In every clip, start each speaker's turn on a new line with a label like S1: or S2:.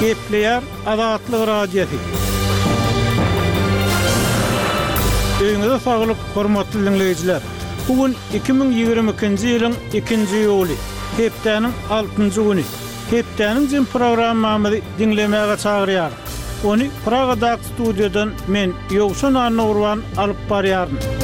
S1: Gepleýär Azatlyk Radiosy. Öýüňize saglyk, hormatly diňleýjiler! Bu gün 2022-nji ýylyň ikinji iýuly, hepdäniň altynjy güni. Hepdäniň jemi programmamyzy diňlemäge çagyrýarys. Ony Pragadaky studiýadan men, Ýowşan Annagurban alyp barýaryn.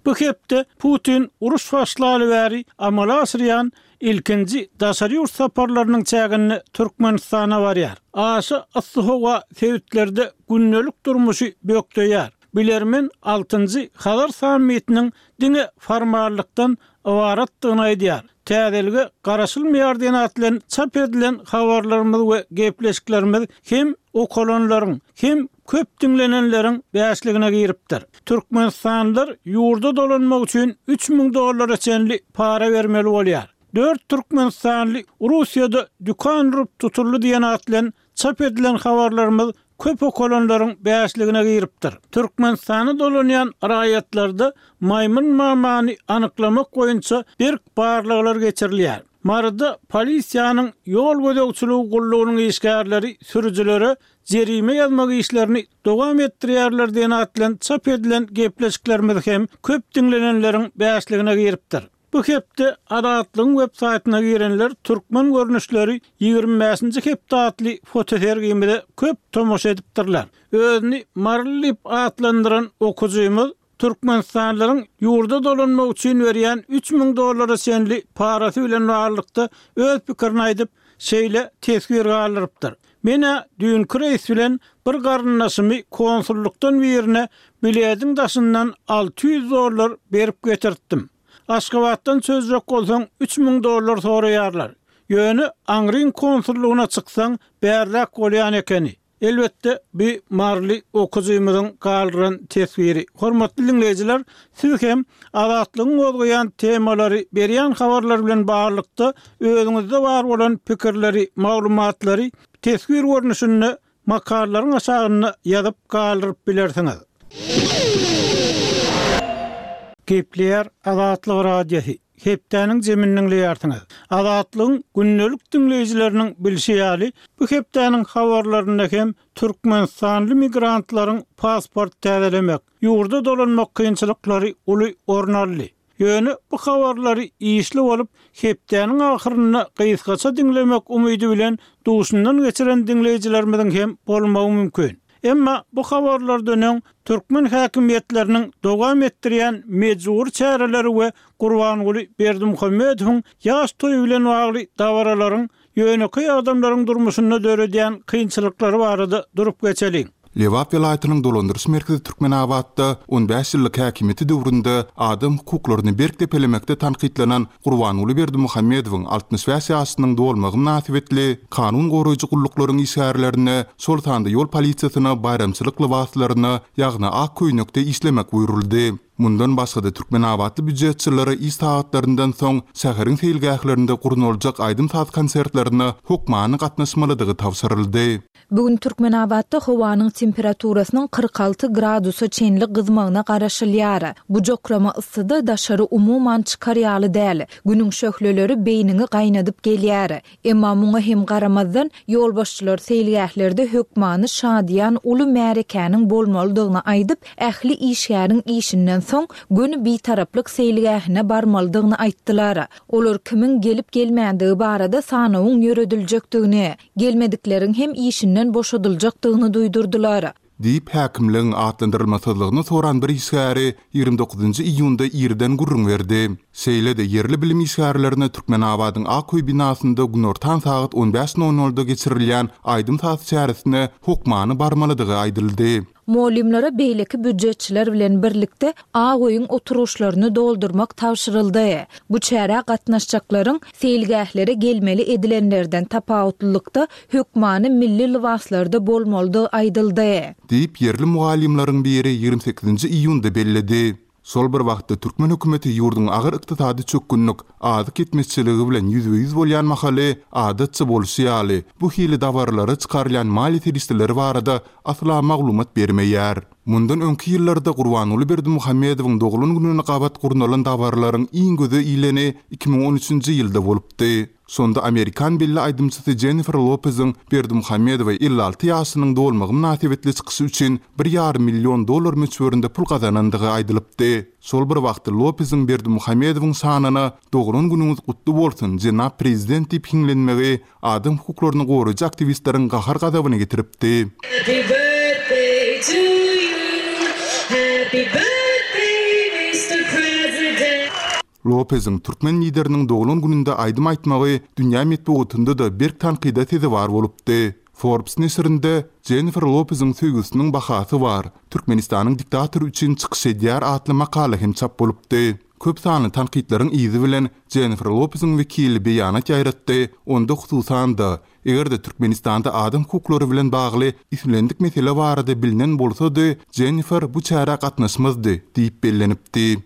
S1: Bu hepde Putin uruş başlaly bäri amala aşyrýan ilkinji daşary ýurt saparlarynyň çäginde Türkmenistana barýar. Aşa yssy howa sebitlerde gündelik durmuşy bökdeýär. Bilermen altynjy Hazar sammitiniň diňe formallykdan ybaratdygyny aýdýar. Täzelige garaşylmaýar diýen at bilen çap edilen habarlarymyz we gepleşiklerimiz hem okalanlaryň, hem köp diňlenenleriň bäşligine giripdir. Türkmenistanlylar ýurda dolanmak üçin 3000 dollara çenli para bermeli bolýar. Dört türkmenistanly Russiýada dükan urup tutuldy diýen at bilen çap edilen habarlarymyz köp okalanlaryň bäşligine giripdir. Türkmenistana dolanýan raýatlarda maýmyn mamany anyklamak boýunça berk barlaglar geçirilýär. Maryda polisiýanyň ýol gözegçiligi gullugynyň işgärleri sürüjilere jerime ýazmak işlerini dowam etdirýärler diýen at bilen çap edilen gepleşiklerimiz hem köp diňlenenleriň bäşligine giripdir. Bu hepde Azatlygyň web saýtyna girenler Türkmen görnüşleri 25-nji hepde atly fotosergimize köp tomaşa edipdirler. Özüni Maryly diýip atlandyran okyjymyz türkmenistanlylaryň ýurda dolanmak üçin berýän 3000 dollara çenli parasy bilen baglylykda öz pikirini aýdyp, şeýle teswir galdyrypdyr, Men-ä düýnki reýs bilen bir garyndaşymy konsullykdan birine bilediň daşyndan 600 dollar berip getirtdim. Aşgabatdan çözjek bolsaň 3000 dollar soraýarlar. Ýöne aňryň konsullygyna çyksaň bärräk bolýan ekeni. Elbetde bi maryly okyjymyzyň galdyran teswiri. Hormatly diňleýjiler, siz hem Azatlygyň gozgaýan temalary, berýän habarlary bilen baglylykda özüňizde bar bolan pikirleri, maglumatlary teswir görnüşinde makalalaryň aşagynda ýazyp galdyryp bilersiňiz. Gepleýär Azatlyk Radiosy, Hepdäniň jemini diňleýärsiňiz. Azatlygyň gündelik diňleýjileriniň bilşi ýaly, bu hepdäniň habarlarynda hem türkmenistanly migrantlaryň pasport täzelemek, ýurda dolanmak kynçylyklary uly orun aldy. Ýöne bu habarlary işli bolup, hepdäniň ahyrynda gysgaça diňlemek umydy bilen duşundan geçiren diňleýjilerimiziň hem bolmagy mümkin. Emma bu habarlardan öň türkmen häkimiýetleriniň dowam etdirýän mejbury çäreleri we Gurbanguly Berdimuhamedowyň ýaş toýy bilen bagly dabaralaryň ýönekeý adamlaryň durmuşynda döredýän kynçylyklary barada durup geçeliň.
S2: Lebap welaýatynyň dolandyryş merkezi Türkmenabatda on bäş ýyllyk häkimiýeti döwründe adam hukuklaryny berk depelemekde tankytlanan Gurbanguly Berdimuhamedowyň 65 ýaşynyň dolmagy mynasybetli kanun goraýjy gulluklaryň işgärlerine, şol sanda ýol polisiýasyna baýramçylyk lybaslaryna, ýagny ak köýnekde işlemek buýruldy. Mundan başga-da türkmenabatly býujetçilere iş sagatlaryndan soň şäheriň seýilgählerinde gurnaljak aýdym-saz konsertlerine hökmany gatnaşmalydygy tabşyryldy.
S3: Bu gün Türkmenabatda howanyň temperaturasynyň 46 gradusa çenli gyzmagyna garaşylýar. Bu jokrama yssyda daşary umuman çykar ýaly däl. Günüň şöhleleri beýniňi gaýnadyp gelýär. Emma muňa hem garamazdan, ýolbaşçylar seýilgählerde hökmany şadyýan uly märekäniň bolmalydygyny aýdyp, ähli işgäriň işinden soň göni Bitaraplyk seýilgähine barmalydygyny aýtdylar. Olar kimiň gelip-gelmändigi barada sanawyň ýörediljekdigini, gelmedikleriň hem işinden boşadyljakdygyny duýdurdylar.
S2: Diýip, häkimligiň atlandyrylmasyzlygyny soran bir işgäri 29-njy iýunda irden gürrüň berdi. Şeýle-de, ýerli bilim işgärlerine Türkmenabadyň Ak öý binasynda günortan sagat on bäş nol nolda geçirilýän aýdym-saz çäresine hokmany barmalydygy aýdyldy.
S3: Mugallymlara beýleki býujetçiler bilen birlikde Ak öýüň oturgyçlaryny doldurmak tabşyryldy. Bu çärä gatnaşjaklaryň seýilgählere gelmeli edilenlerden tapawutlylykda hökmany milli lybaslarda bolmalydygy aýdyldy.
S2: Diýip, ýerli mugallymlaryň biri 28-nji iýunda belledi. Şol bir wagtda, türkmen hökümeti ýurduň agyr ykdysady çökgünlik, azyk ýetmezçiligi bilen ýüzbe-ýüz bolýan mahaly, adatça bolşy ýaly, bu hili dabaralara çykarylýan maliýe serişdeleri barada asla maglumat bermeýär. Mundan öňki ýyllarda Gurbanguly Berdimuhamedowyň doglan gününe gabat gurnalan dabaralaryň iň göze ileni 2013-nji ýylda bolupdy. Şonda amerikan belli aýdymçysy Jennifer Lopeziň Berdimuhamedowa 56 ýaşynyň dolmagy mynasybetli çykyşy üçin bir ýarym million dollar möçberinde pul gazanandygy aýdylypdy. Şol bir wagtda Lopeziň Berdimuhamedowyň şanyna Doglan günüňiz gutly bolsun, jenap prezident diýip hiňlenmegi adam hukuklaryny goraýjy aktiwistleriň gahar-gazabyny getiripdi.
S4: Happy birthday to you, happy birthday Mister President.
S2: Lopeziň türkmen lideriniň doglan gününde aýdym aýtmagy dünýä metbugatynda-da berk tankyda sezewar bolupdy. Forbes neşirinde Jennifer Lopeziň söýgüsiniň bahasy bar, Türkmenistanyň diktatory üçin çykyş edýär atly makala hem çap bolupdy. Köp sanly tankytlaryň yzy bilen Jennifer Lopeziň wekili beýanat ýaýratdy, onda hususan-da, eger-de Türkmenistanda adam hukuklary bilen bagly islendik mesele barada bilnen bolsady, Jennifer bu çärä gatnaşmazdy diýip bellenipdi.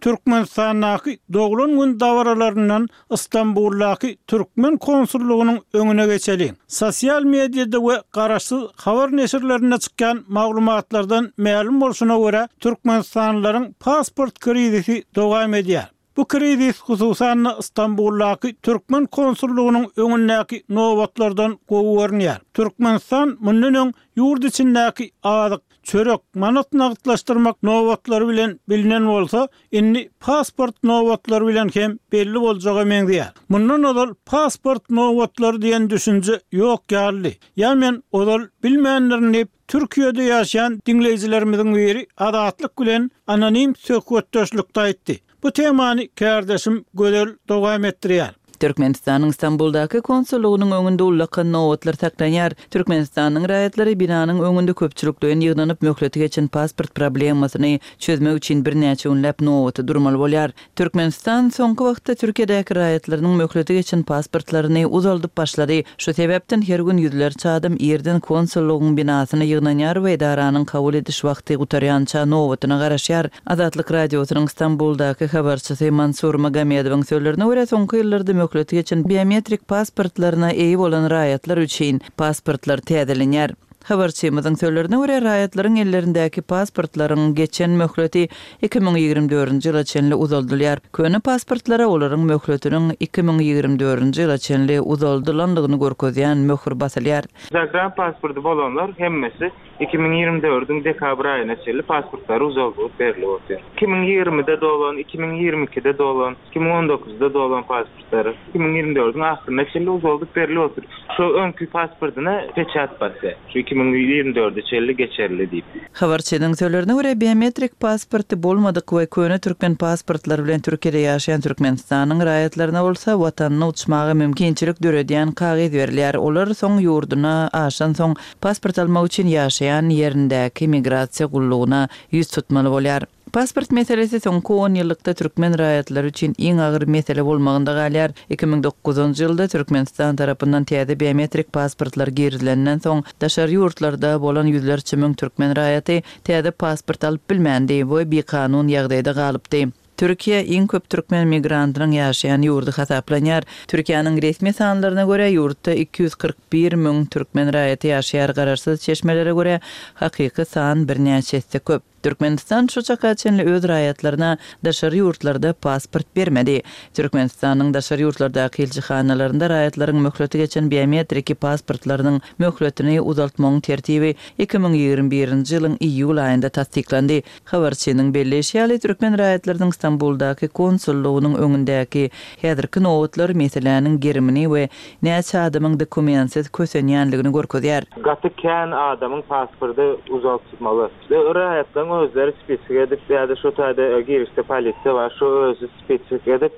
S1: Türkmenistandaky doglan gün dabaralaryndan Stambuldaky türkmen konsullygynyň öňüne geçeliň. Sosial mediada we garaşsyz habar neşirlerinde çykýan maglumatlardan mälim bolşuna görä, türkmenistanlylaryň pasport krizisi dowam edýär. Bu krizis hususan-da Stambuldaky türkmen konsullygynyň öňündäki nobatlardan gowy görünýär. Türkmenistan mundan öň ýurt içindäki azyk, çörek, manat nagtlaşdyrmak nobatlary bilen bilinen bolsa, indi pasport nobatlary bilen hem belli boljaga meňzeýär. Mundan ozal pasport nobatlary diýen düşünje ýok ýalydy. Ýa men ozal bilmändirin diýip, Türkiýede ýaşaýan diňleýjilerimiziň biri Azatlyk bilen anonim söhbetdeşlikde aýtdy. Bu temany kärdeşim Gözel dowam etdirýär.
S5: Türkmenistanyň Stambuldaky konsullygynyň öňünde ullakan nobatlar saklanýar. Türkmenistanyň raýatlary binanyň öňünde köpçülikleýin ýygnanyp, möhleti geçen pasport problemasyny çözmek üçin birnäçe günläp nobata durmaly bolýar. Türkmenistan soňky wagtda Türkiýedäki raýatlarynyň möhleti geçen pasportlaryny uzaldyp başlady. Şu sebäpden her gün ýüzlerçe adam irden konsullygyň binasyna ýygnanýar we edaranyň kabul ediş wagty gutarýança nobatyna garaşýar. Azatlyk Radiosynyň Stambuldaky habarçysy Mansur Magomedowyň sözlerine görä, soňky ýyllarda möhleti geçen biometrik pasportlaryna eýe bolan raýatlar üçin pasportlar täzelenýär. Habarçymyzyň sözlerine görä, raýatlaryň ellerindäki pasportlaryň geçen möhleti 2024-nji ýyla çenli uzaldylýar. Köne pasportlara olaryň möhletiniň 2024-nji ýyla çenli uzaldylandygyny görkezýän möhür basylýar.
S6: Zagran pasporty bolanlar hemmesi 2024-iň dekabr aýyna çenli pasportlary uzaldylyp berlip otyr. 2020-de dolan, 2022-de dolan, 2019-da dolan pasportlary 2024-iň ahyryna çenli uzaldyp berlip otyr. Şo öňki pasportyna peçat basýar. Şu 2024-e çenli geçerli diýip.
S5: Habarçynyň sözlerine görä, biometrik pasporty bolmadyk we köne türkmen pasportlary bilen Türkiýede ýaşaýan Türkmenistanyň raýatlaryna bolsa watanyna uçmaga mümkinçilik döredýän kagyz berilýär. Olar soň ýurduna aşansoň, Pasport almak üçin ýaşaýan ýerindäki migrasiýa gullugyna ýüz tutmaly bolýar. Pasport meselesi soňky onýyllykda türkmen raýatlary üçin iň agyr mesele bolmagynda galýar. 2009-njy ýylda Türkmenistan tarapyndan täze biometrik pasportlar girizilenden soň, daşary ýurtlarda bolan ýüzlerçe müň türkmen raýaty täze pasport alyp bilmändi we bikanun ýagdaýda galypdy. Türkiýe iň köp türkmen migrantynyň ýaşaýan ýurdy hasaplanýar. Türkiýäniň resmi sanlaryna görä, ýurtda 241 müň türkmen raýaty ýaşaýar, garaşsyz çeşmelere görä, hakyky san birnäçe esse köp. Türkmenistan şu çaka çenli öz raýatlaryna daşary ýurtlarda pasport bermedi. Türkmenistanyň daşary ýurtlardaky ilçihanalarynda raýatlaryň möhleti geçen biometriki pasportlarynyň möhletini uzaltmagyň tertibi 2021-nji ýylyň iýul aýynda tassyklandy. Habarçynyň belleýşi ýaly, türkmen raýatlarynyň Stambuldaky konsullygynyň öňündäki häzirki nobatlar meseläniň gerimini we näçe adamyň dokumentsiz kösenýänligini görkezýär.
S6: Gaty kän adamyň pasporty uzaltmaly. Raýatlaryň özleri spisik edip ýa-da şo taýda girişde polisiýa bar, şo özi spisik edip,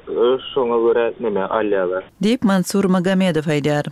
S6: şoňa görä neme alýarlar.
S5: Diýip, Mansur Magomedow aýdýar.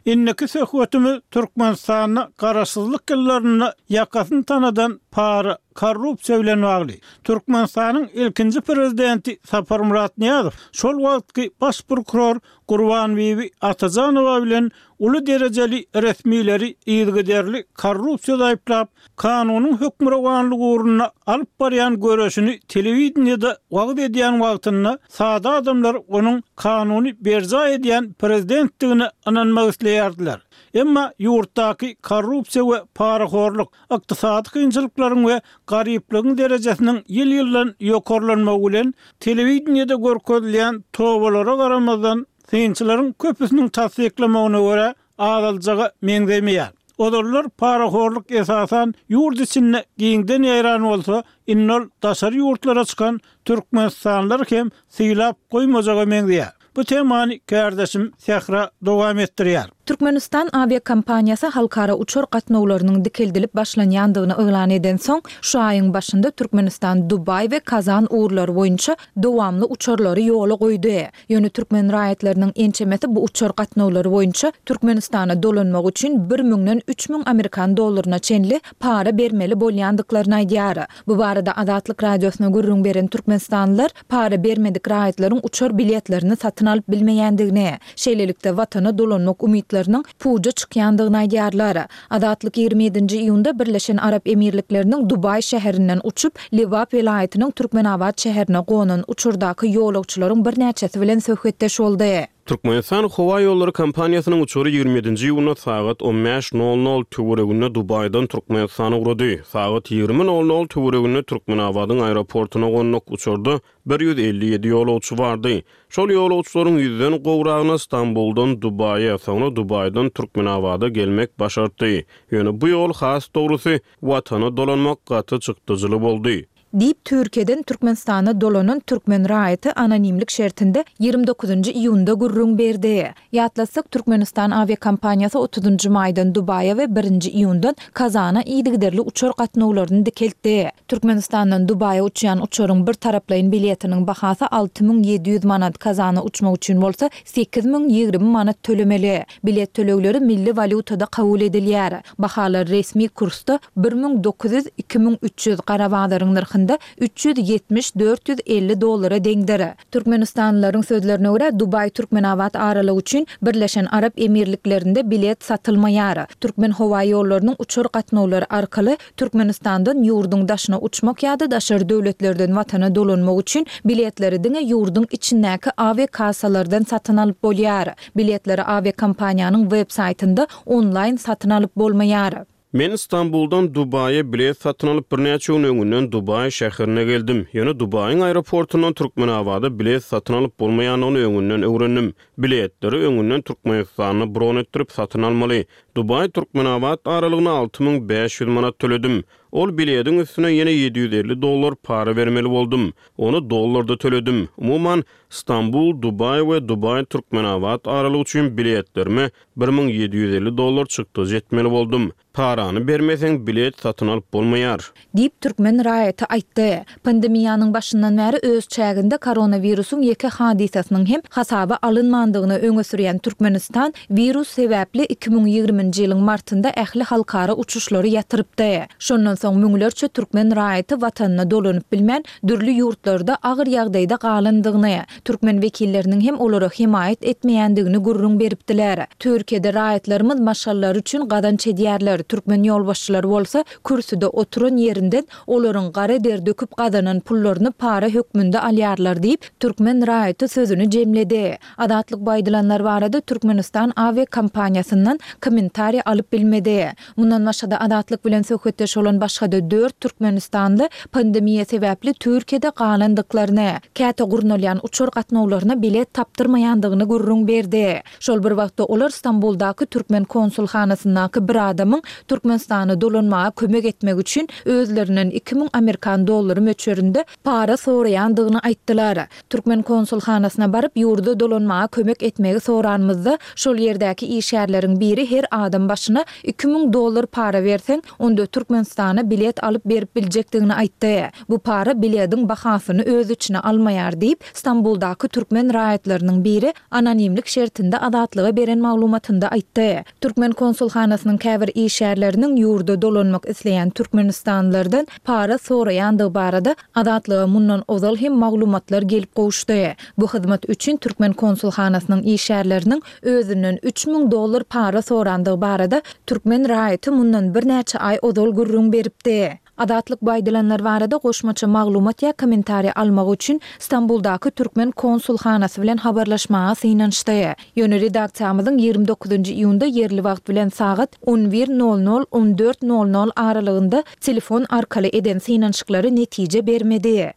S1: Indiki söhbetimiz Türkmenistanda garaşsyzlyk ýyllarynda ýakasyny tanadan para, korrupsiýa bilen bagly. Türkmenistanyň ilkinji prezidenti Saparmyrat Nyýazow şol wagtky baş prokuror Gurbanbibi Atajanowa bilen uly derejeli resmileri yzygiderli korrupsiýada aýyplap, kanunyň hökmürowanlygy ugrunda alyp barýan göreşini telewideniýede wagyz edýän wagtynda sada adamlar onuň kanuny berjaý edýän prezidentdigine ynanmak isleýärdiler. Emma ýurtdaky korrupsiýa we parahorluk, ykdysady kynçylyklaryň we garyplygyň derejesiniň ýyl-ýyldan ýokarlanmagy bilen, telewideniýede görkezilýän tobalara garamazdan, synçylaryň köpüsiniň tassyklamagyna görä, azaljaga meňzemeýär. Ozallar parahorluk esasan ýurt içinde giňden ýaýran bolsa, indi ol daşary ýurtlara çykan türkmenistanlylary hem sylap goýmajaga meňzeýär. Bu temany kärdeşim Sähra dowam etdirýär.
S3: Türkmenistan awiakompaniýasy halkara uçar gatnawlarynyň dikeldilip başlanýandygyny yglan edensoň, şu aýyň başynda Türkmenistan Dubaý we Kazan ugurlary boýunça dowamly uçarlary ýola goýdy. Ýöne türkmen raýatlarynyň ençemesi bu uçar gatnawlary boýunça Türkmenistana dolanmak üçin bir müňden 3000 amerikan dollaryna çenli para bermeli bolýandyklaryny aýdýar. Bu barada Azatlyk Radiosyna gürrüň beren türkmenistanlylar para bermedik raýatlaryň uçar biletlerini satyn alyp bilmeýändigini, şeýlelikde watana dolanmak umytlarynyň puja çykýandygyny aýdýarlar. Azatlyk 27-nji iýunda Birleşen Arap Emirlikleriniň Dubaý şäherinden uçup, Lebap welaýatynyň Türkmenabat şäherine gonan uçardaky ýolagçylaryň birnäçesi bilen söhbetdeş boldy.
S7: Türkmenistan howa ýollary kompaniýasynyň uçary 27-nji iýunda sagat on bäş nol nol töwereginde Dubaýdan Türkmenistana ugrady. Sagat 20 nol nol töwereginde Türkmenabadyň aeroportuna gonduk. Uçarda 157 ýolagçy bardy. Şol ýolagçylaryň ýüzden gowragyna Stambuldan Dubaýa, soňra Dubaýdan Türkmenabada gelmek başartdy. Ýöne bu ýol, has dogrusy, Watana dolanmak gaty çykdajyly boldy.
S3: Diýip, Türkiýeden Türkmenistana dolanan türkmen raýaty anonimlik şertinde 29-njy iýunda gürrüň berdi. Ýatlatsak, Türkmenistan awiakompaniýasy otuzynjy maýdan Dubaýa we birinji iýundan Kazana yzygiderli uçar gatnawlaryny dikeltdi. Türkmenistandan Dubaýa uçýan uçaryň bir taraplaýyn biletiniň bahasy 6700 manat, Kazana uçmak üçin bolsa 8020 manat tölemeli. Bilet tölegleri milli walýutada kabul edilýär. Bahalar resmi kursda 1900, 2300, gara bazaryň nyrhynda 370, 450 dollara deňdir. Türkmenistanlylaryň sözlerine görä, Dubaý-Türkmenabat aralygy üçin Birleşen Arap Emirliklerinde bilet satylmaýar. Türkmenhowaýollarynyň uçar gatnawlary arkaly Türkmenistandan ýurduň daşyna uçmak ýa-da daşary döwletlerden watana dolanmak üçin biletleri diňe ýurduň içindäki awiakassalardan satyn alyp bolýar. Biletleri awiakompaniýanyň web saýtynda onlaýn satyn alyp bolmaýar.
S7: Men Stambuldan Dubaýa bilet satyn alyp birnäçe gün öňünden Dubaý şäherine geldim. Ýöne Dubaýyň aeroportundan Türkmenabada bilet satyn alyp bolmaýandygyny öňünden öwrendim. Biletleri öňünden Türkmenistanda bron etdirip satyn almaly. Dubaý-Türkmenabat aralygyna 6500 manat töledim. Ol bilediň üstüne ýene 750 dollar para bermeli boldum. Ony dollarda töledim. Umuman, Stambul, Dubaý we Dubaý, Türkmenabat aralygy üçin biletlerime 1750 dollar çykdajy etmeli boldum. Parany bermeseň, bilet satyn alyp bolmaýar.
S3: Diýip, türkmen raýaty aýtdy. Pandemiýanyň başyndan bäri öz çäginde koronawirusyň ýeke hadysasynyň hem hasaba alynmandygyny öňe sürýän Türkmenistan wirus sebäpli 2020-nji ýylyň martynda ähli halkara uçuşlary ýatyrypdy. Şondan soň müňlerçe türkmen raýaty watanyna dolanyp bilmän, dürli ýurtlarda agyr ýagdaýda galandygyny, türkmen wekilleriniň hem olara hemaýat etmeýändigini gürrüň beripdiler. Türkiýede raýatlarymyz maşgalalary üçin gazanç edýärler, türkmen ýolbaşçylary bolsa kürsüde oturan ýerinden olaryň gara der döküp gazanan pullaryny para hökmünde alýarlar diýip, türkmen raýaty sözüni jemledi. Azatlyk bu aýdylanlar barada Türkmenistan awiakompaniýasyndan kommentariý alyp bilmedi. Mundan başga-da Azatlyk bilen söhbetdeş bolan başga-da dört türkmenistanly pandemiýa sebäpli Türkiýede galandyklaryny, käte gurnalýan uçar gatnawlaryna bilet tapdyrmaýandygyny gürrüň berdi. Şol bir wagtda olar Stambuldaky türkmen konsulhanasyndaky bir adamyň Türkmenistana dolanmaga kömek etmek üçin özlerinden 2000 amerikan dollary möçberinde para soraýandygyny aýtdylar. Türkmen konsulhanasyna baryp, ýurda dolanmaga kömek etmegi soranymyzda, şol ýerdäki işgärleriň biri her adam başyna 2000 dollar para berseň, onda Türkmenistana bilet alyp berip biljekdigini aýtdy. Bu para bilediň bahasyny öz içine almaýar diýip, Stambuldaky türkmen raýatlarynyň biri anonimlik şertinde Azatlyga beren maglumatynda aýtdy. Türkmen konsulhanasynyň käbir işgärleriniň ýurda dolanmak isleýän türkmenistanlylardan para soraýandygy barada Azatlyga mundan ozal hem maglumatlar gelip gowuşdy. Bu hyzmat üçin türkmen konsulhanasynyň işgärleriniň özünden 3000 dollar para sorandygy barada türkmen raýaty mundan birnäçe aý ozal gürrüň beripdi. Azatlyk bu aýdylanlar barada goşmaça maglumat ýa kommentariý almak üçin Stambuldaky türkmen konsulhanasy bilen habarlaşmaga synanyşdy. Ýöne redaksiýamyzyň 29 iýunda ýerli wagt bilen sagat on bir nol nol, on dört nol nol aralygynda telefon arkaly eden synanyşyklary netije bermedi.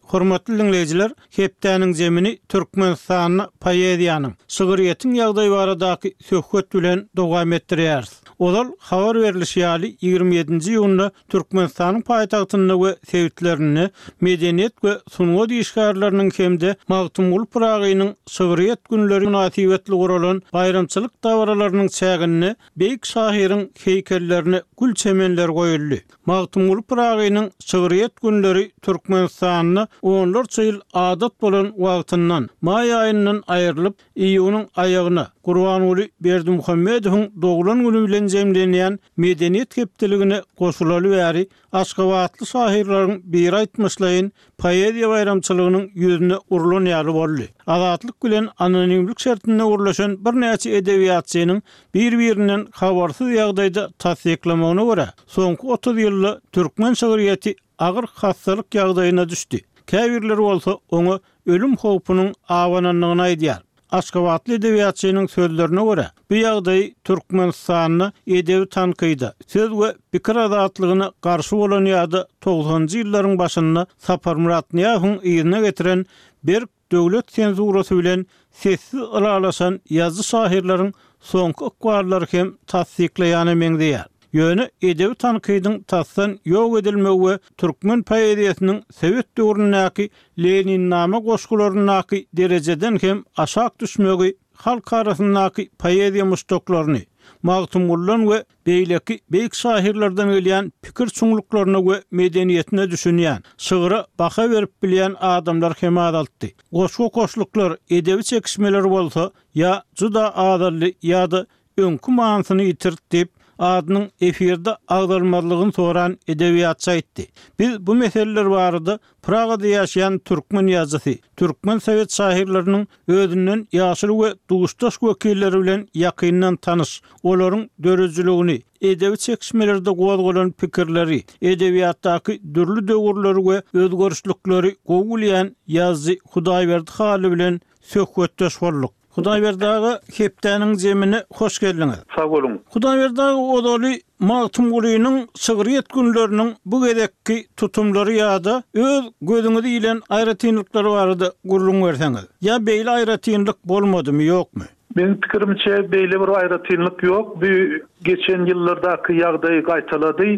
S1: Hormatly diňleýjiler, hepdäniň zemini Türkmenistanda poeziýanyň, şygryýetiň ýagdaýy baradaky söhbet bilen dowam etdirýäris. Ozal habar berlişi ýaly, 27-nji iýunda Türkmenistanyň paýtagtynda we sebitlerinde medeniýet we sungat işgärleriniň hem-de Magtymguly Pyragynyň şygryýet günleri mynasybetli guralan baýramçylyk dabaralarynyň çäginde beýik şahyryň heýkellerine gül çemenleri goýuldy. Magtymguly Pyragynyň şygryýet günleri Türkmenistanda onlarça ýyl adat bolan wagtyndan, maý aýyndan aýrylyp, iýunyň aýagyna, Gurbanguly Berdimuhamedowyň doglan güni bilen jemlenýän Medeniýet hepdeligine goşulaly bäri aşgabatly şahyrlaryň biri aýtmyşlaýyn, poeziýa baýramçylygynyň ýüzüne urlan ýaly boldy. Azatlyk bilen anonimlik şertinde gürleşen birnäçe edebiýatçynyň bir-birinden habarsyz ýagdaýda tassyklamagyna görä, soňky 30 ýylda türkmen şygryýeti agyr hassalyk ýagdaýyna düşdi. Käbirleri bolsa oňa ölüm howpunyň abanandygyny aýdýar. Aşgabatly edebiýatçynyň sözlerine görä, bu ýagdaýy Türkmenistanda edebi tankyda, söz we pikir azatlygyna garşy bolan ýa-da togsanynjy ýyllaryň başynda Saparmyrat Nyýazowyň yzyna getiren berk döwlet senzurasy bilen sessiz ylalaşan ýazyjy-şahyrlaryň soňky ykballary hem tassyklaýana meňzeýär. Ýöne edebi tankydyň tasdan ýok edilmegi we türkmen poeziýasynyň sowet döwründäki Leninnama goşgularyndaky derejeden hem aşak düşmegi halk arasyndaky poeziýa muşdaklaryny Magtymguludan we beýleki beýik şahyrlardan gelýän pikir çuňluklaryna we medeniýetine düşünýän, şygra baha berip bilýän adamlar hem azaltdy. Goşgy okaşlyklar, edebi çekişmeler bolsa ýa juda azaldy ýa-da öňki manysyny ýitirdi diýip, adynyň efirde agzalmazlygyny soran edebiýatçy aýtdy. Biz bu meseleler barada Pragada ýaşaýan türkmen ýazyjysy, türkmen sowet şahyrlarynyň özünden ýaşuly we duşdaş wekilleri bilen ýakyndan tanyş, olaryň döredijiligini, edebi çekişmelerde gozgalan pikirleri, edebiýatdaky dürli döwürleri we özgerişlikleri gowy bilýän ýazyjy Hudaýberdi Hally bilen söhbetdeş bolduk. Hudaýberdi aga hepdäniň zemine hoş geldiňiz.
S8: Sag boluň.
S1: Hudaýberdi aga ozaly Magtymgulynyň şygryýet günleriniň bu gezekki tutumlary ýa-da öz gözüňize ilen aýratynlyklary barada gürrüň berseňiz. Ýa beýle aýratynlyk bolmadymy ýokmy?
S8: Meň pikirimçe beýle bir aýratynlyk ýok. Bu geçen ýyllardaky ýagdaýy gaýtalady.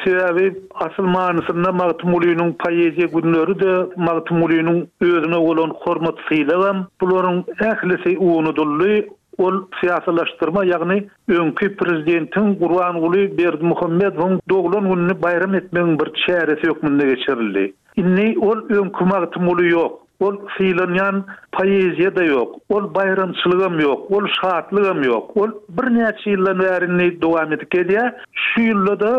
S8: Sebäbi asyl manysynda Magtymgulynyň poeziýa günleri-de, Magtymgulynyň özüne bolan hormat-sylagam, bularyň ählisi unudyldy. Ol syýasylaşdyrma, ýagny öňki prezidentiň Gurbanguly Berdimuhamedowyň doglan gününi baýram etmegiň bir çäresi hökmünde geçirildi. Indi ol öňki Magtymguly ýok. Ol sylanýan poeziýa-da ýok, ol baýramçylygam ýok, ol şatlygam ýok. Ol birnäçe ýyldan bäri indi dowam edip gelýär. Şu ýylda-da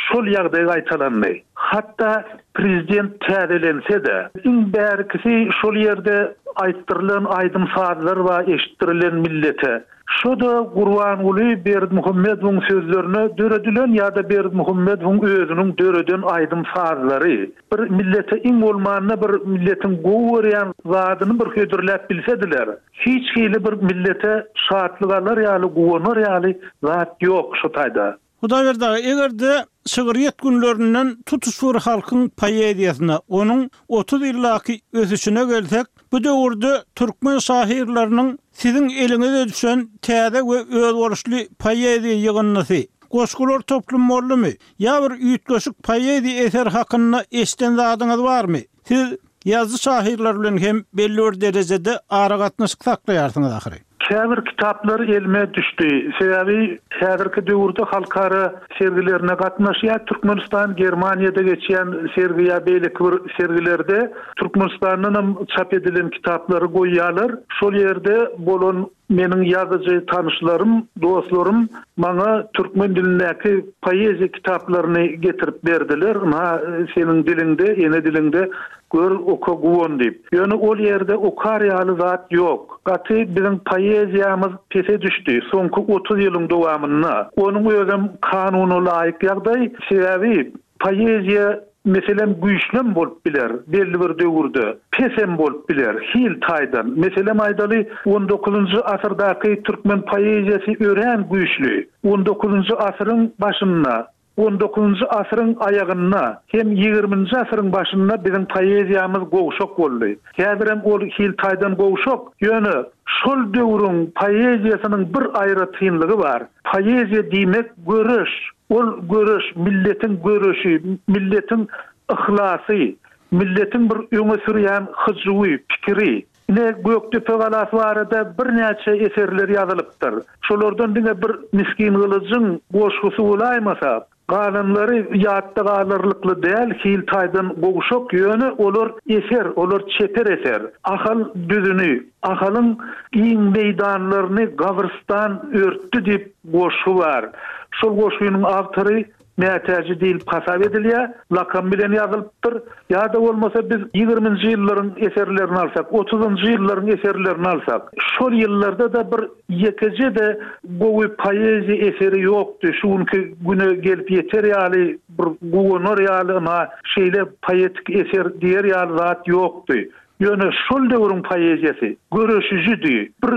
S8: şol ýagdaý gaýtalandy. Hatda prezident täzelense-de, iň bärikisi şol ýerde aýtdyrylan aýdym-sazlar bar eşitdirilen millete. Şo-da Gurbanguly Berdimuhamedowyň sözlerine döredilen ýa-da Berdimuhamedowyň özüniň döreden aýdym-sazlary. Bir millete iň bolmanda bir milletiň gowy görýän zadyny bir hödürläp bilsediler. Hiç hili bir millete şatlyk alar ýaly, guwanar ýaly zat ýok şo taýda.
S1: Hudaýberdi aga, eger-de şygryýet günlerinden tutuş bir halkyň poeziýasyna, onuň 30 ýyldaky ösüşine gelsek, bu döwürde türkmen şahyrlarynyň siziň eliňize düşen täze we özboluşly poeziýa ýygyndysy, goşgular toplumy boldumy? Ýa bir üýtgeşik poeziýa eseri hakynda eşiden zadyňyz barmy? Siz ýazyjy-şahyrlar bilen hem belli bir derejede aragatnaşyk saklaýarsyňyz ahyry.
S8: Käbir kitaplar elime düşdi. Sebäbi häzirki döwürde halkara sergilerine gatnaşýar. Türkmenistan Germaniýada geçýän sergi ýa beýleki bir sergilerde Türkmenistandanam çap edilen kitaplary goýýarlar. Şol ýerde bolan. Meniň ýazyjy tanyşlarym, dostlarym maňa türkmen dilindäki poeziýa kitaplaryny getirip berdiler, ynha, seniň diliňde, ene diliňde gör, oka, guwan diýip. Ýöne ol ýerde okar ýaly zat ýok. Gaty biziň poeziýamyz pese düşdi soňky 30 ýylyň dowamynda. Onuň özem kanuna laýyk ýagdaý, sebäbi poeziýa Meselem, güýçlem bolup biler, belli bir döwürde, pesem bolup biler, hil taýdan. Meselem aýdaly, on dokuzynjy asyrdaky türkmen poeziýasy örän güýçli. On dokuzynjy asyryň başynda, on dokuzynjy asyryň aýagynda hem ýigriminji asyryň başynda biziň poeziýamyz gowşak boldy. Häzirem ol hil taýdan gowşak, ýöne şol döwrüň poeziýasynyň bir aýratynlygy bar. Poeziýa diýmek göreş. Ol göreş, milletiň göreşi, milletiň yhlasy, milletiň bir öňe sürýän hyjuwy, pikiri. Ine, Gökdepe galasy barada birnäçe eserler ýazylypdyr. Şolardan diňe bir Misgingylyjyň goşgusy bolaýmasa, Galanlary ýatda galarlykly däl, hil taýdan gowşak, ýöne olar eser, olar çeper eser. Ahal düzüni, Ahalyň giň meýdanlaryny gabrystan örtdi diýip goşgy bar. Şol goşgynyň awtory Mätäji diýlip hasap edilýär, lakam bilen ýazylypdyr. Ýa-da bolmasa biz ýigriminji ýyllaryň eserlerini alsak, otuzynjy ýyllaryň eserlerini alsak, şol ýyllarda-da bir Ýekeje-de gowy poeziýa eseri ýokdy, şu günki güne gelip ýeter ýaly, bir guwanar ýaly ynha, şeýle poetik eser diýer ýaly zat ýokdy. Ýöne şol döwrüň poeziýasy göreşijidi, bir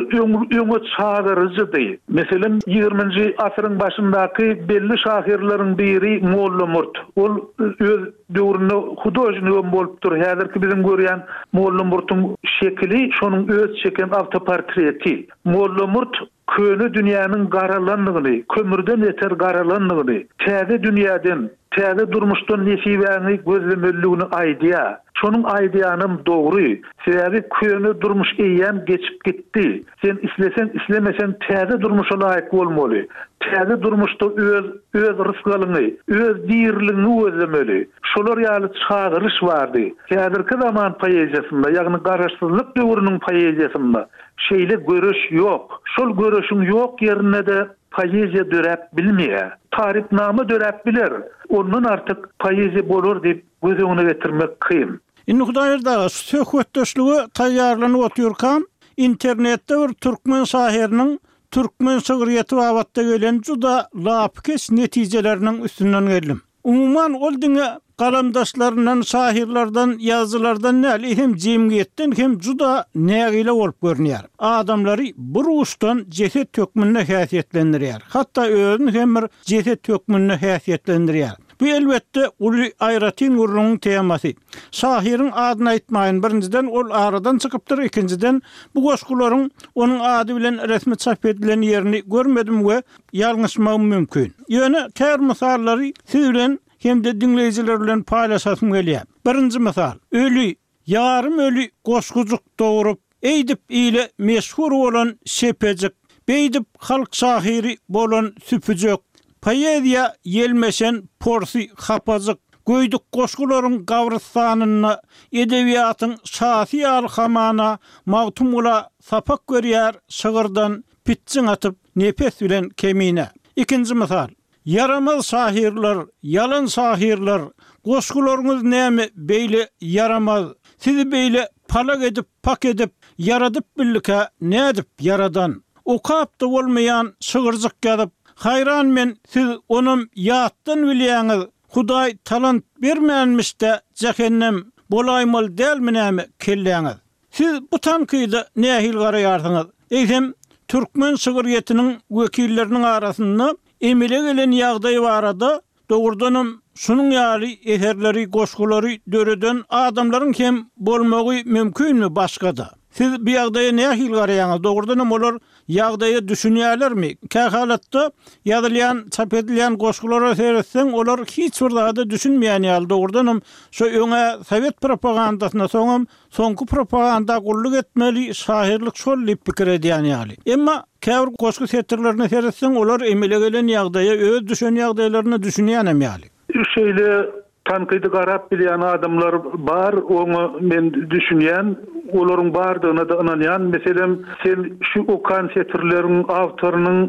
S8: öňe çagyryjydy. Meselem, ýigriminji asyryň başyndaky belli şahyrlaryň biri Mollamurt. Ol öz döwründe hudožnigem bolupdyr. Häzirki biziň görýän Mollamurtuň şekili şonuň öz çeken awtoportreti. Mollamurt köne dünýäniň garalandygyny, kömürden beter garalandygyny, täze dünýäden, täze durmuşdan nesibäňi gözlemelidigini aýdýar. Şonuň aýdýanam dogry. Sebäbi köne durmuş eýýäm geçip gitdi. Sen isleseň-islemeseň täze durmuşa laýyk bolmaly. Täze durmuşda öz öz rysgalyňy, öz diriligiňi gözlemeli. Şolar ýaly çagyryş bardy. Häzirki zaman poeziýasynda, ýagny Garaşsyzlyk döwrüniň poeziýasynda şeýle göreş ýok. Şol göreşiň ýok ýerinde-de poeziýa döräp bilmeýär. Tarypnama döräp biler, ondan artyk poeziýa bolar diýip göz öňüne getirmek kyn.
S1: Indi Hudaýberdi aga, şu söhbetdeşlige taýýarlanyp otyrkam, internetde bir türkmen şahyrynyň türkmen şygryýeti babatda gelen juda lapykeç netijeleriniň üstünden geldim. Umuman, ol diňe galamdaşlaryndan, şahyrlardan, ýazyjylardan däl, eýsem jemgyýetden hem juda nägile bolup görünýär. Adamlary bir uçdan jeset hökmünde häsiýetlendirýär. Hatda özüni hem bir jeset hökmünde häsiýetlendirýär. Bu elbetde uly aýratyn gürrüňiň temasy. Şahyryň adyny aýtmaýyn, birinjiden ol aradan çykypdyr, ikinjiden bu goşgularyň onuň ady bilen resmi çap edilen ýerini görmedim we ýalňyşmagym mümkin. Ýöne käbir mysallary siz bilen hem-de diňleýjiler bilen paýlaşasym gelýär. Birinji mysal, Öli, Ýarym öli goşgujyk dogrup, Eýdip ile meşhur bolan şepejik, Beýdip halk şahyry bolan süpüjek, Poeziýa ýelmeşen porsy hapajyk, Göýdük goşgularyň gabrystanynda Edebiýatyň şasy ýaly hamana Magtymgula sapak berýär şygyrdan Pitjiň atyp nepes bilen Kemine. Ikinji mysal. Ýaramaz şahyrlar, ýalan şahyrlar, goşgularyňyz näme beýle ýaramaz, sizi beýle palak edip pak edip ýaradyp bildikä nädip ýaradan? Okap-da bolmaýan şygyrjyk ýazyp, haýran men siz onam ýatdan bilýäňiz, Hudaý talant bermänmiş-dä jähennem bolaýmaly dälmi näme kelläňiz? Siz bu tankyda nähili garaýarsyňyz? Eýsem, türkmen şygryýetiniň wekilleriniň arasynda emele gelen ýagdaý barada dogrudanam şunuň ýaly eserleri, goşgulary döreden adamlaryň hem bolmagy mümkinmi başga-da? Siz bu ýagdaýa nähili garaýaňyz? Dogrudanam olar ýagdaýa düşünýärlermi? Kähalatda ýazylýan, çap edilýän goşgulara seretseň, olar hiç bir zada düşünmeýän ýaly. Dogrudanam şo öň-ä sowet propagandasyna, soňam Soňky propaganda gulluk etmeli, şahyrlyk şol diýip pikir edýän ýaly. Emma käbir goşgy setirlerine seretseň, olar emele gelen ýagdaýa, öz düşen ýagdaýlaryna düşünýänem ýaly.
S8: Şeýle tankydy garap bilýän adamlar bar, oňa men düşünýän. Olaryň bardygyna-da ynanýan. Meselem, sen şu okan setirleriň awtorynyň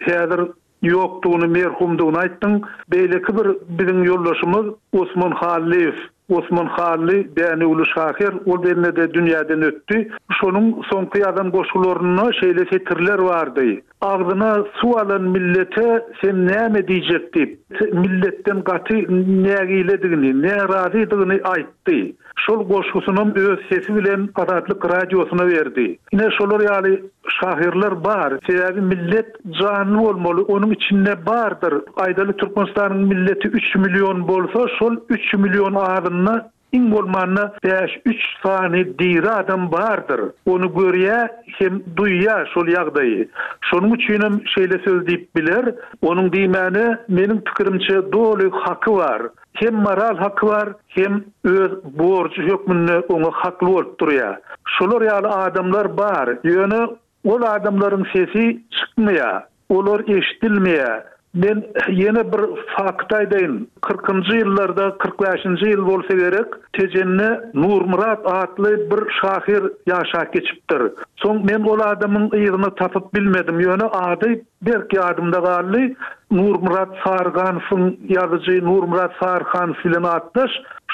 S8: häzir ýokdugyny, merhumdygyny aýtdyň. Beýleki bir biziň ýoldaşymyz Osman Hallyýew. Osman Hally dänewli şahyr, ol bende-de dünýäden ötdi. Şonuň soňky ýazan goşgularynda şeýle setirler bardy. Agzyna suw alan millete sen näme diýjek diýip, milletden gaty nägiledigini, närazydygyny aýtdy. Şol goşgusynam öz sesi bilen Azatlyk Radiosyna berdi. Ine şolar ýaly şahyrlar bar. Sebäbi millet janly bolmaly, onuň içinde bardyr. Aýdaly Türkmenistanyň milleti üç million bolsa, şol üç million azynda iň bolmanda bäş-üç sany diri adam bardyr. Ony görýä hem duýýa şol ýagdaýy. Şonuň üçinem şeýle söz diýip biler. Onuň diýmäne meniň pikirimçe doly haky bar. Hem moral haky bar, hem öz borjy hökmünde oňa hakly bolup durýar. Şolar ýaly adamlar bar, ýöne ol adamlaryň sesi çykmaýar, olar eşidilmeýär. Men ýene bir fakt aýdaýyn, kyrkynjy ýyllarda, 45-nji ýyl bolsa gerek, Tejende Nurmyrat atly bir şahyr ýaşap geçipdir. Soň men ol adamyň yzyny tapyp bilmedim, ýöne ady Berk ýadymda galdy, Nurmyrat Saryganowyň, ýazyjy Nurmyrat Saryhanow bilen atdaş,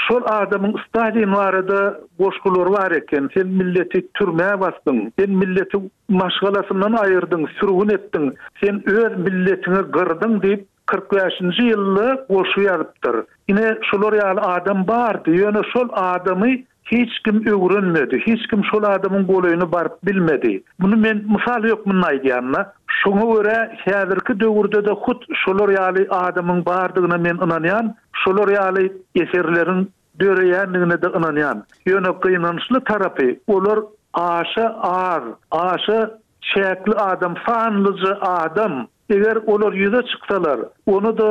S8: şol adamyň Stalin barada goşgulary bar eken, Sen milleti türmä basdyň, sen milleti maşgalasyndan aýyrdyň, sürgün etdiň, sen öz milletiňi gyrdyň diýip, 45-nji ýylda goşgy ýazypdyr. Ine, şular ýaly adam bardy, ýöne şol adamy Hiç kim öwrenmedi, hiç kim şol adamyň golaýyna baryp bilmedi. Muny men mysal hökmünde aýdýan-da. Şoňa görä, häzirki döwürde-de hut şolar ýaly adamyň bardygyna men ynanýan, şolar ýaly eserleriň döreýändigine-de ynanýan. Ýöne gynançly tarapy, olar aşa az, aşa çäkli adam, sanlyja adam. Eger olar ýüze çyksalar, ony-da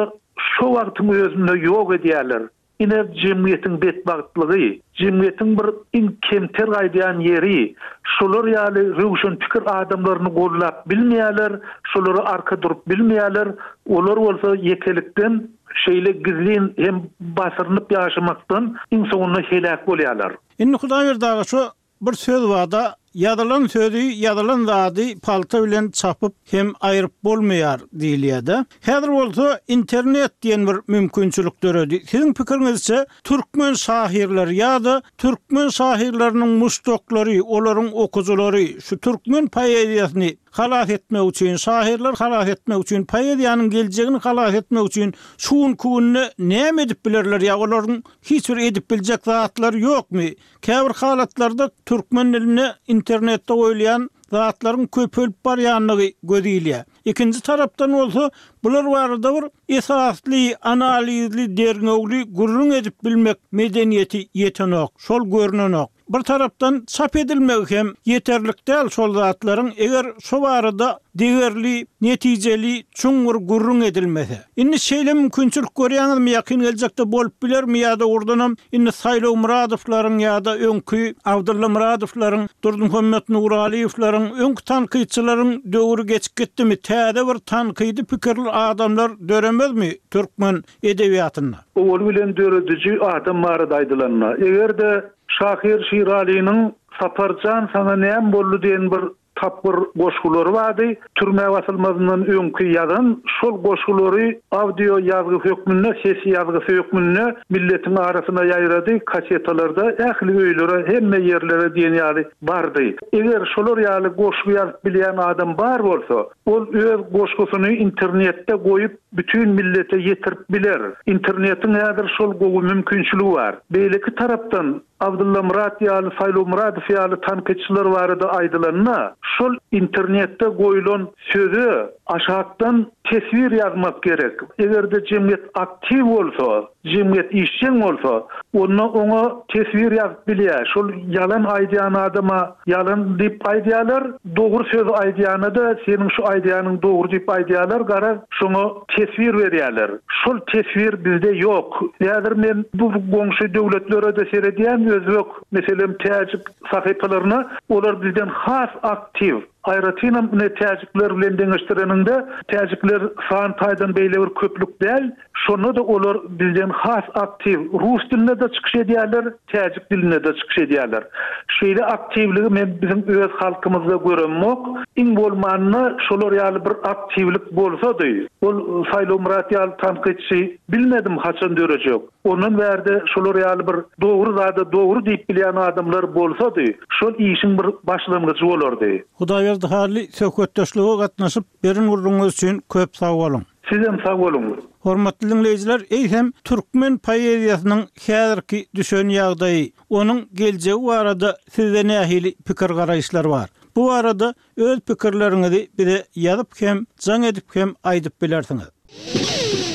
S8: şo wagtyň özünde ýok edýärler. Ine, jemgyýetiň betbagtlygy, jemgyýetiň bir iň kemter gaýdýan ýeri, şolar ýaly röwşen pikir adamlaryny gollap bilmeýärler, şolara arka durup bilmeýärler, olar bolsa ýekelikden, şeýle gizlin hem basyrynyp ýaşamakdan iň soňunda heläk bolýarlar.
S1: Indi Hudaýberdi aga şu Bir söz barda, ýazylan sözi, ýazylan zady palta bilen çapyp hem aýryp bolmaýar diýilýär-de. Häzir bolsa internet diýen bir mümkinçilik döredi. Siziň pikiriňizçe, türkmen şahyrlary ýa-da türkmen şahyrlarynyň muşdaklary, olaryň okyjylary şu türkmen poeziýasyny halas etmek üçin, şahyrlary halas etmek üçin, poeziýanyň geljegini halas etmek üçin şu günki günde näme edip bilerler ýa olaryň hiç bir edip biljek zatlary ýokmy? Käbir halatlarda türkmen dilinde internetde goýulýan zatlaryň köpelip barýandygy göz ilýär. Ikinji tarapdan bolsa, bular barada bir esasly, analizli, derňewli gürrüň edip bilmek medeniýeti ýetenok, şol görnenok. Bir tarapdan çap edilmegi hem ýeterlik däl şol zatlaryň, eger şo barada degerli, netijeli, çuňňur gürrüň edilmese. Indi şeýle mümkinçilik görýäňizmi, ýakyn geljekde bolup bilermi ýa-da ugurdanam indi Saýlaw Myradowlaryň ýa-da öňki Abdylla Myradowlaryň, Durdymuhammet Nuralyýewleriň, öňki tankytçylaryň döwri geçip gitdimi, täze bir tankydy pikirli adamlar döremezmi türkmen edebiýatynda?
S8: Owaly bilen dörediji adam barada aýdylanda, eger-de şahyr Şiralynyň Sapar jan saňa näme boldy diýen bir Tapgyr goşgulary bardy. Türmä basylmazyndan öňki ýazan şol goşgulary audio ýazgy hökmünde, ses ýazgysy hökmünde milletiň arasyna ýaýrady, kasetalarda ähli öýlere, hemme ýerlere diýen ýaly bardy. Eger şolar ýaly goşgy ýazyp bilýän adam bar bolsa, ol öz goşgusyny internetde goýup, bütin millete ýetirip biler. Internetiň häzir şol gowy mümkinçiligi bar. Beýleki tarapdan, Abdylla Myrat ýaly, Saýlaw Myradow ýaly tankytçylar barada aýdylanda, şol internetde goýlan söze aşakdan teswir ýazmak gerek. Eger-de jemgyýet aktiw bolsa, jemgyýet işjeň bolsa, onda oňa teswir ýazyp bilýär. Şol ýalan aýdýan adama ýalan diýip aýdýarlar, dogry sözi aýdýana-da seniň şu aýdýanyň dogry diýip aýdýarlar, garaz, şoňa teswir berýärler. Şol teswir bizde ýok. Häzir men bu goňşy döwletlere-de seredýän, özbek, meselem, täjik sahypalaryna, olar bizden has aktiw. Aýratynam ine täjikler bilen deňeşdireniňde, täjikler san taýdan beýle bir köplük däl, şonda-da olar bizden has aktiw rus dilinde-de çykyş edýärler, täjik dilinde-de çykyş edýärler. Şeýle aktiwligi men biziň öz halkymyzda göremok. Iň bolmanda şolar ýaly bir aktiwlik bolsady. Ol Saýlawmyrat ýaly tankytçy bilmedim haçan dörejek. Ondan bärde şolar ýaly bir dogry zada dogry diýip bilýän adamlar bolsady, şol işiň bir başlangyjy bolardy.
S1: Hudaýberdi Hally söhbetdeşlige gatnaşyp beren gürrüňiňiz üçin köp sag boluň.
S8: Sizem sag boluň.
S1: Hormatly diňleýjiler, eýsem türkmen poeziýasynyň häzirki düşen ýagdaýy, onuň geljegi barada sizde nähili pikir-garaýyşlar bar? Bu barada Öz pikirleriňizi bize ýazyp hem, jaň edip hem aýdyp bilersiňiz.